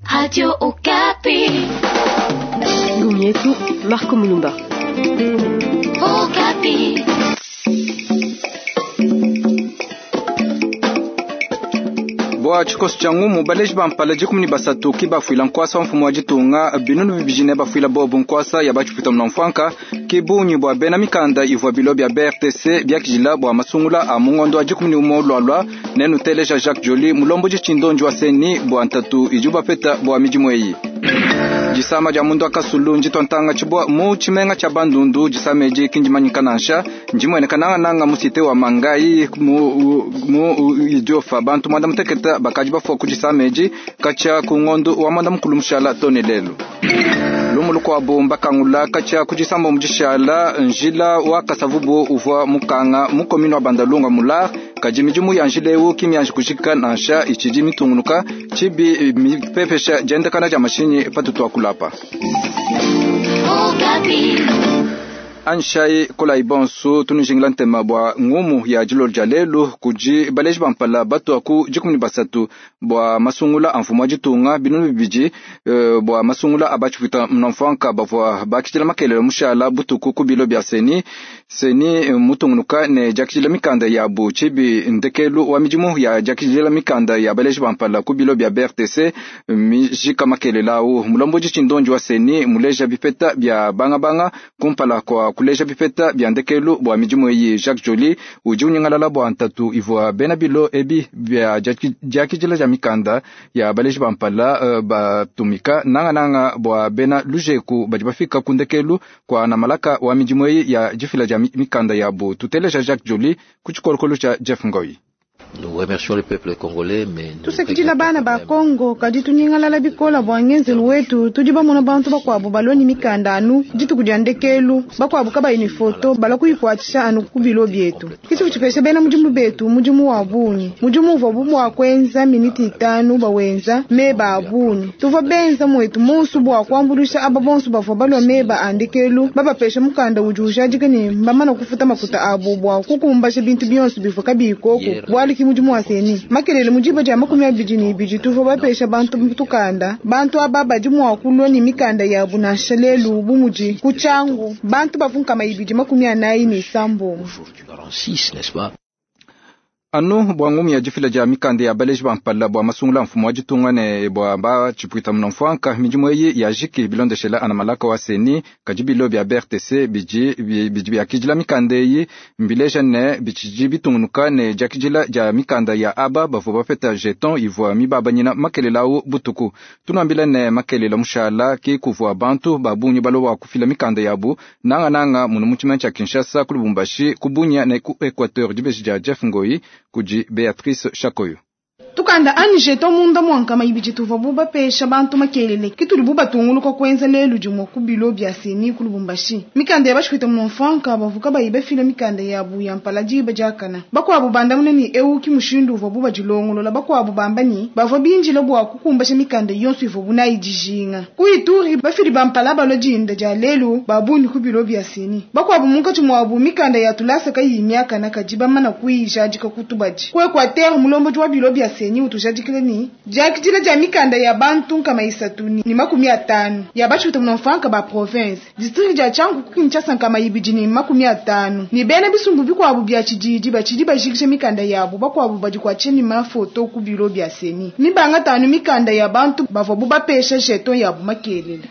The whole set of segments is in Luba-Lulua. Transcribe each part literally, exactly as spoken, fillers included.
Radio Okapi. Ngumu yetu Marco Mulumba. Okapi. Bua tshikoso tshia ngumu baleji ba mpala dikumi ne basatu ki bafuila nkuasa wa mfumu wa ditunga binunu bibidi ne bafuila bobu nkuasa ya batshipwita muna mfuanka ki bungi bua bena mikanda ivua bilo bia B R T C biakidila bua masungula a mungondo wa dikumi ne umue lualua. Nenuteleja Jacques Joly, mulombodi tshindonji wa CENI, bua ntatu idi bapeta bua midimu eyi. Disama dia mundu wa kasulu nditua ntanga tshibua mu tshimenga tshia Bandundu. Disama edi ki ndimanyika nansha, ndimueneka nangananga mu cité wa Mangai mu, mu Idiofa. Bantu mwanda muteketa bakadi bafua ku disama edi katshia ku ngondu wa mwanda mukulu mushala tone lelu. Lumu lukuabu, mbakangula katshia ku disamba mu dishala njila wa Kasavubu uvua mukanga mu commune wa Bandalunga mular, kadi midimu ya njila ewu ki mianji kujika nansha, itshidi mitungunuka tshibi mipepesha diendekana dia mashinyi patutu akulapa. Okapi. Anshai kolai bonso, tunujingila ntema bua ngumu ya dilolo dia lelu. Kudi baleji ba mpala batua ku dikumi ne basatu bua masungula a mfumu wa ditunga, binunu bibidi uh, bua masungula a batshipwita muna bavua bakidila makelele mushala butuku ku bilo bia CENI. CENI mutungunuka ne diakidila mikanda yabu tshibi ndekelu wa midimu ya diakidila mikanda ya baleji ba mpala ku bilo bia B R T C mijika makelela awu. Mulombodi tshindonji wa CENI muleja bipeta bia bangabanga kumpala kwa kuleja bipeta bia ndekelu bua midimu eyi. Jacques Joly udi unyingalala bua ntatu ivua bena bilo ebi bia diakidila dia mikanda ya baleji ba mpala uh, batumika nangananga bua bena lujeku badi bafika ku ndekelu kwa na malaka wa midimu eyi ya difila dia mikanda yabu. Tuteleja Jacques Joly ku tshikolokolo tshia Jeff Ngoi. Tusakidila bana ba Kongo, kadi tunyingalala bikola bua ngenzelu wetu. Tudi bamona bantu bakuabu baloni mikanda anu dituku dia ndekelu, bakuabu kabayi ni foto, bala kuyikuatshisha anu ku bilo bietu. Kituku tshipesha bena mudimu betu mudimu wa bungi, mudimu uvua bu mua kuenza miniti itanu bawenza meba a bungi. Tuvua benza mwetu monsu bua kuambuluisha aba bonso bavua balua meba a ndekelu, babapesha mukanda udi ujadika ne mbamana kufuta makuta abu bua kukumbasha bintu bionso bivua kabiyi koku bualu ki mudimu wa CENI. Makelele mudiba dia makumi abidi ne ibidi tuvua bapesha bantu tukanda. Bantu aba badi mua kulua ne mikanda yabu nansha lelu bu mudi ku Tshangu bantu bavua nkama ibidi makumi anayi ne isambombo. Anu bua ngumu ya difila dia mikanda ya baleji ba mpala bua masungula mfumu wa ditunga ne bua batshipwita muna mfuanka, midimu eyi yajiki bilondeshela ana malaka wa CENI, kadi bilo bia B R T C bidi bidi biakidila mikanda eyi mbileja ne bitshidi bitungunuka ne diakidila dia mikanda ya aba bavua bapeta jeton ivua mibabanyina makelela awu butuku. Tunuambila ne makelela mushala ki kuvua bantu ba bungi balowa kufila mikanda yabu nangananga munu mu tshimenga tshia Kinshasa, ku Lubumbashi, ku Bunia ne ku Equateur. Dibeji dia Jeff Ngoi kudi Beatrice Chakoyo. Tukanda anyi jeton munda mua nkama ibidi tuvua bubapesha bantu makelele kitudi bubatunguluka kuenza lelu dimue ku bilo bia CENI ku Lubumbashi. Mikanda ya batshipwita muna bavua kabayi bafila mikanda yabu ya mpala diba diakana. Bakuabu bandamuna ne ewu ki mushindu uvua bubadilongolola, bakuabu bamba ni bavua binjila bua kukumbasha mikanda yonso ivua bunayi dijinga. Ku Ituri bafili ba mpala balua dinda dia lelu babungi ku bilo bia CENI, bakuabu munkatshi muabu mikanda ya tulasa kayiyi miakana kadi bamana kuyijadika ku tubadi. Ku Equateur mulombodi wa bilo bia CENI utujadikile ni diakidila dia mikanda ya bantu nkama isatu ni makumi atanu ya batshipwita muna mfuanka ba province district dia Tshangu ku Kinshasa nkama ibidi ni makumi atanu ni bena bisumbu bikuabu bia tshididi batshidi bajikisha mikanda yabu, bakuabu badi kuatshisha ni mafoto ku bilo bia CENI mibanga tanu mikanda ya bantu bavua bubapesha jeton yabu makelele.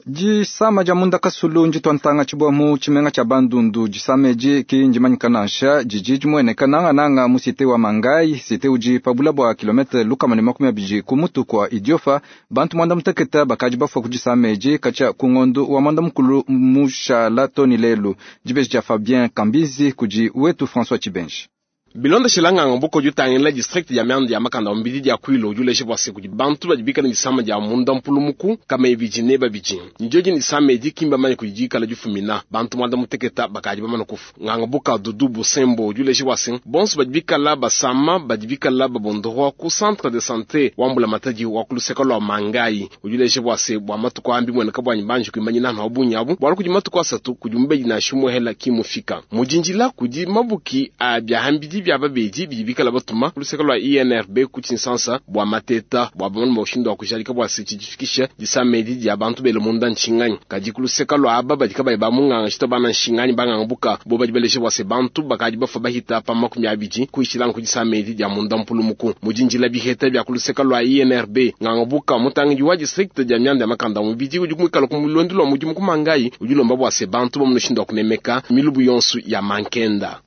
Disama dia munda kasulu nditua ntanga tshibua mu tshimenga tshia Bandundu. Disama edi ki ndimanyika nansha, didi dimueneka nangananga mu cité wa Mangai, cité udi pabula bua kilometre lukama ne makumi abidi ku mutu kua Idiofa. Bantu mwanda muteketa bakadi bafua ku disama edi katshia ku ngondu wa mwanda mukulu mushala toni lelu. Dibeji dia Fabien Kambizi kudi wetu François Tshibenji. Bilondeshela nganga buko jutangila district ya mianda ya makanda mbidi dia kwilo juleshe bwase kudi bantu badi ni disama dia munda mpulumuku kama ibiji ne babiji njoji ni disama edi kimba manye kujikala jufumina bantu mwanda muteketa bakaji bamana kufu. Nganga buka dudu busembo juleshe bwase bonso badi bikala basama badi bikala babondorwa ku centre de santé wambula matadi wa kuluseka lwa Mangai. Ujuleshe bwase bwa matuko ambi mwene kabwanyi banji kuimanyina na obunyabu bwalo kudi matuko asatu kudi mbeji na shimwe hela kimufika mujinjila kudi mabuki a bya hambidi. bia babedi bidi bikala batuma luseke lwa I N R B ku Tshinsansa bua mateta bua bamone mushindu wa kujalika bua se tshidifikisha disamedi dia bantu bele munda nshinganyi. Kadi kuluseka lwa aba badi kabayi ba munganga shita bana nshinganyi banganga buka bo badi baleshe bua se bantu bakadi bafa bahita pa makumi abidi kuishilanga ku disamedi dia munda mpulumuku. Mujinjila biheta bia kuluseka lwa I N R B nganga buka mutangidi wa district dia mianda ya makanda mubidi udi kumwikala ku mulondu lwa mudimu kumangayi udi lomba bua se bantu bamunoshindu wa kunemeka milubu yonsu ya mankenda.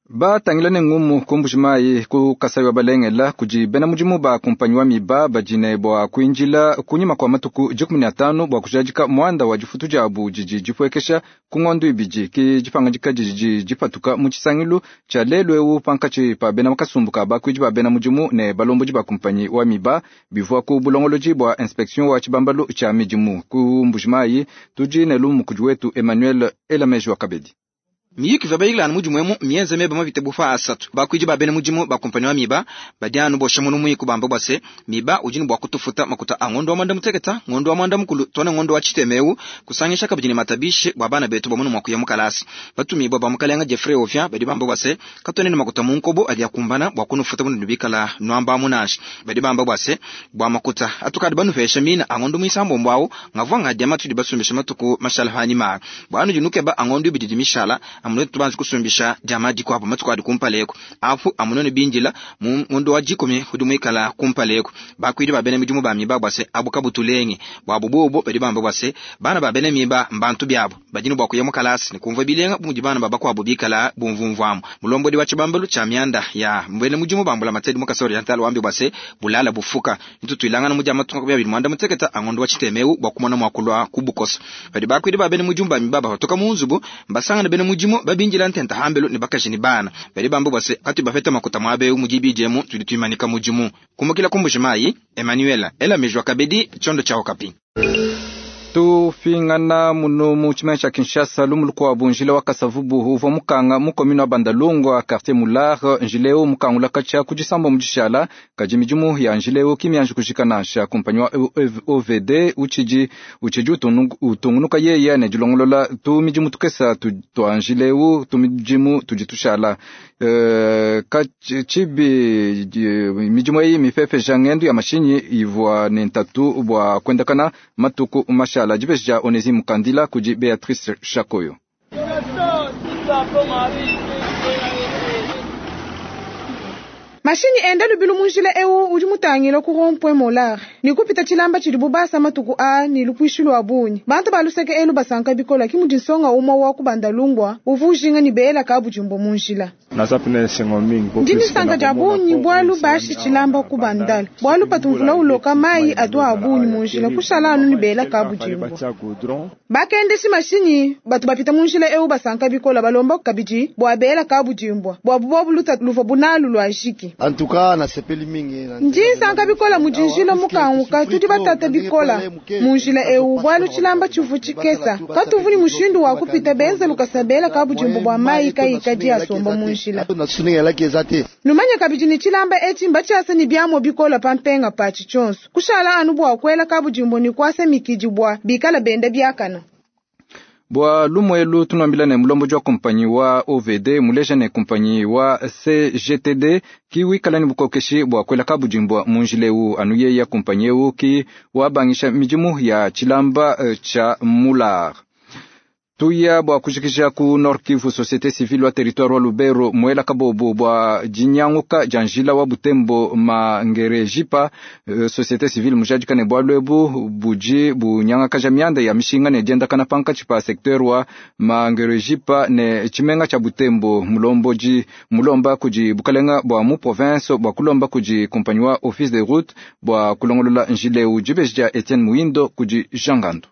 Batangila ne ngumu kumbujimayi ku Kasai wa Balengela kudi bena mudimu ba kumpanyi wa miba badine bua kuinjila kunyima kwa matuku dikumi na atanu bua kujadika mwanda wa difutu diabu didi dipuekesha ku ngondo ibidi ki dipangadika didi dipatuka mu tshisangilu tshia lelu eu pankatshi pa bena makasumbu ka bakuidi ba bena mudimu ne balombodi ba kumpanyi wa miba bivua ku bulongolodi bua inspection wa tshibambalu tshia midimu ku Mbujimayi. Tudi ne lumu kudi wetu Emmanuel Elameji wa Kabedi. Miyiki va bayilana mudimu emu mienze meba mavite bufa asatu bakuidi ba bena mudimu ba kumpanyi wa miba badi anu bosha munu muiku bamba bwa se miba udi ne bua kutufuta makuta a ngondo wa mwanda muteketa ngondo wa mwanda mukulu tone ngondo wa chitemeu kusangisha kabidi ne matabishe bwa bana betu bamunu mwa kuya mukalasi batumibwa ba mukalenga Jeffrey Ovia badi bamba bwa se katone ne makuta munkobo adi akumbana bwa kunufuta bunu bikala nwamba munashi badi bamba bwa se bwa makuta atukadi banupesha mina a ngondo muisambo mbwawo ngavwa ngadia matudi basumbisha matuku mashala hanima bwa anu dinukeba a ngondo ibidi dimishala amuno tubanze kusumbisha jama dikwapo matuku adi kumpaleko afu amuno ne binjila mu ngondo wa jikumi hudi muikala kumpaleko bakwidi ba bene midimu ba miba bwase abuka butulenge bwa bubobo badi bamba bwase bana ba bene miba mbantu byabo badini bwa kuya mukalasi ne kumva bilenga bumudi bana babakwabo bikala bumvumvwamu mulombodi wa chibambalu cha mianda ya mbene mudimu bambula matedi mukasori yantalo wambi bwase bulala bufuka ntutwilangana mu jama tunga bya mwanda muteketa angondo wa chitemeu bwa kumona mwakulwa kubukoso badi bakwidi ba bene mudimu ba miba batoka mu nzubu mbasangana bene mudimu babinjila ntenta hambelu ne bakaji ni bana bali bambu bwase kati bafeta makuta mwabe mujibije mu tudi tuimanika mujimu kumukila kumbujimayi Emmanuel ela mejwa kabedi chondo cha Okapi. Tufingana muno mu chimene cha Kinshasa lumuluko wa bunjila wa Kasavubu uvwa mukanga mu commune wa Bandalungwa quartier Mular njileo mukangula kacha kujisambo mujishala kaji midimu ya njileo kimyanji kujikana sha kumpanyi wa O V D uchiji uchiji utungunuka yeye ne dilongolola tu midimu tukesa tu twa njileo tu midimu tujitushala uh, kachibi midimu eyi mifefe jangendu ya mashinyi ivwa ne ntatu bwa kwendakana matuku mashala Jibesja Onesimu Kandila kuji Beatrice Shakoyo. Mashini enda lubilu munjila eu udi mutangila ku rond-point Molar ni kupita tshilamba tshidi bubasa matuku a ni lupuishi lwa bunyi bantu baluseke elu basanka bikola ki mudi nsonga umwa wa kubandalungwa uvujinga ni beela kabujimbo munjila ndi nisanka dia bunyi bwalu bashi tshilamba kubandala bwalu patumvula uloka mai atu a bunyi munjila kushala anu ni beela kabujimbo bakendeshi mashinyi batu bapita munjila eu basanka bikola balomba kabidi bwa beela kabujimbwa bwa bubwa buluta luva bunalu lwa jiki. En tout cas, na sepeli mingi. Ndi nsanka bikola mujinjila mukanguka tudi batata bikola munjila eu bwalu tshilamba tshivu tshikesa katuvuni mushindu wa kupita benza lukasabela kabujimbo bwa mai kayikadi asomba munjila numanya kabidi ni tshilamba etshi mbatshiasa ni biamo bikola pampenga patshi tshonso kushala anu bwa kwela kabujimbo ni kwasa mikidi bwa bikala benda biakana. Bwa lumwelu tunambila ne mulombo wa kompanyi wa O V D muleja ne kompanyi wa C G T D ki wikala ni bukokeshi bwa kwela kabujimbwa munjileu anu ye ya kompanyi eu ki wabangisha midimu ya tshilamba uh, cha Mular. Tuya bwa kujikisha ku Nord Kivu Société Civile wa territoire wa Lubero mwela kabobo bwa jinyanguka janjila wa Butembo Mangerejipa uh, Société Civile mujadika ne bwa lwebu buji bunyanga kaja mianda ya mishinga ne jenda kana panka chipa secteur wa Mangerejipa ne chimenga cha Butembo mulomboji mulomba kuji bukalenga bwa mu province bwa kulomba kuji compagnie wa office de route bwa kulongolola njile ujibeja Etienne Muindo kuji Jangando.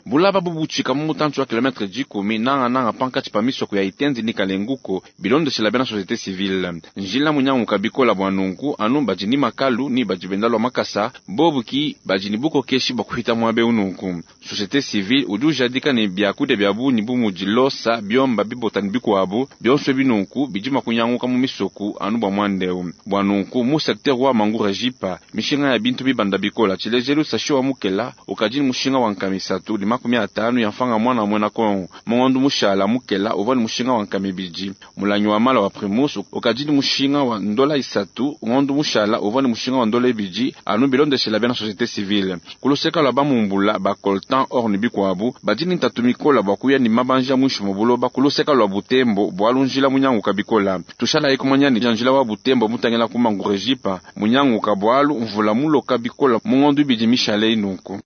Bulaba bubutshika mu mutantu wa kilometre dikumi nanga nanga pankatshi pa misoko ya itendi ni kalenguko bilondeshela bena société civile njila munyanguka bikola bwa nunku anu badi ni makalu ni badi benda lwa makasa bobu ki badi ni bukokeshi bwa kuhita mwabe ununku société civile udi ujadika ne biakudia bia bunyi bu mudi losa biomba bibotani bikuabu bionso binunku bidi makunyanguka mu misoku anu bwa mwandeu bwa nunku mu secteur wa Mangurejipa mishinga ya bintu bibanda bikola tshilejelu sashi wa mukela ukadi ni mushinga wa nkamisatu makumi atanu ya mfanga mwana mwena Kongo. Mungondo mushala mukela uvwa ni mushinga wa nkama ibidi. Mulangi wa mala wa Primus ukadidi mushinga wa ndola isatu. Ngondo mushala uvwa ni mushinga wa ndola ibidi anu bilondeshela bena société civile. Kuluseka lwa bamumbula ba coltan or ni bikwabu badini ntatu mikola bwa kuya ni mabanja mwisho mubuloba kuluseka lwa Butembo bwalu njila munyanguka bikola. Tushala ikumanya ni njila wa Butembo mutangela kumangurejipa munyanguka bwalu mvula muloka bikola mungondo ibidi mishale inuku.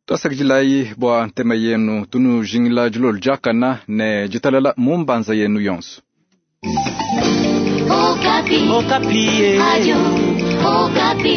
Twasakidilayi bwa ntema yenu tunujingila dilolo diakana ne ditalala mumbanza yenu yonso. Okapi. Okapi. Radio Okapi.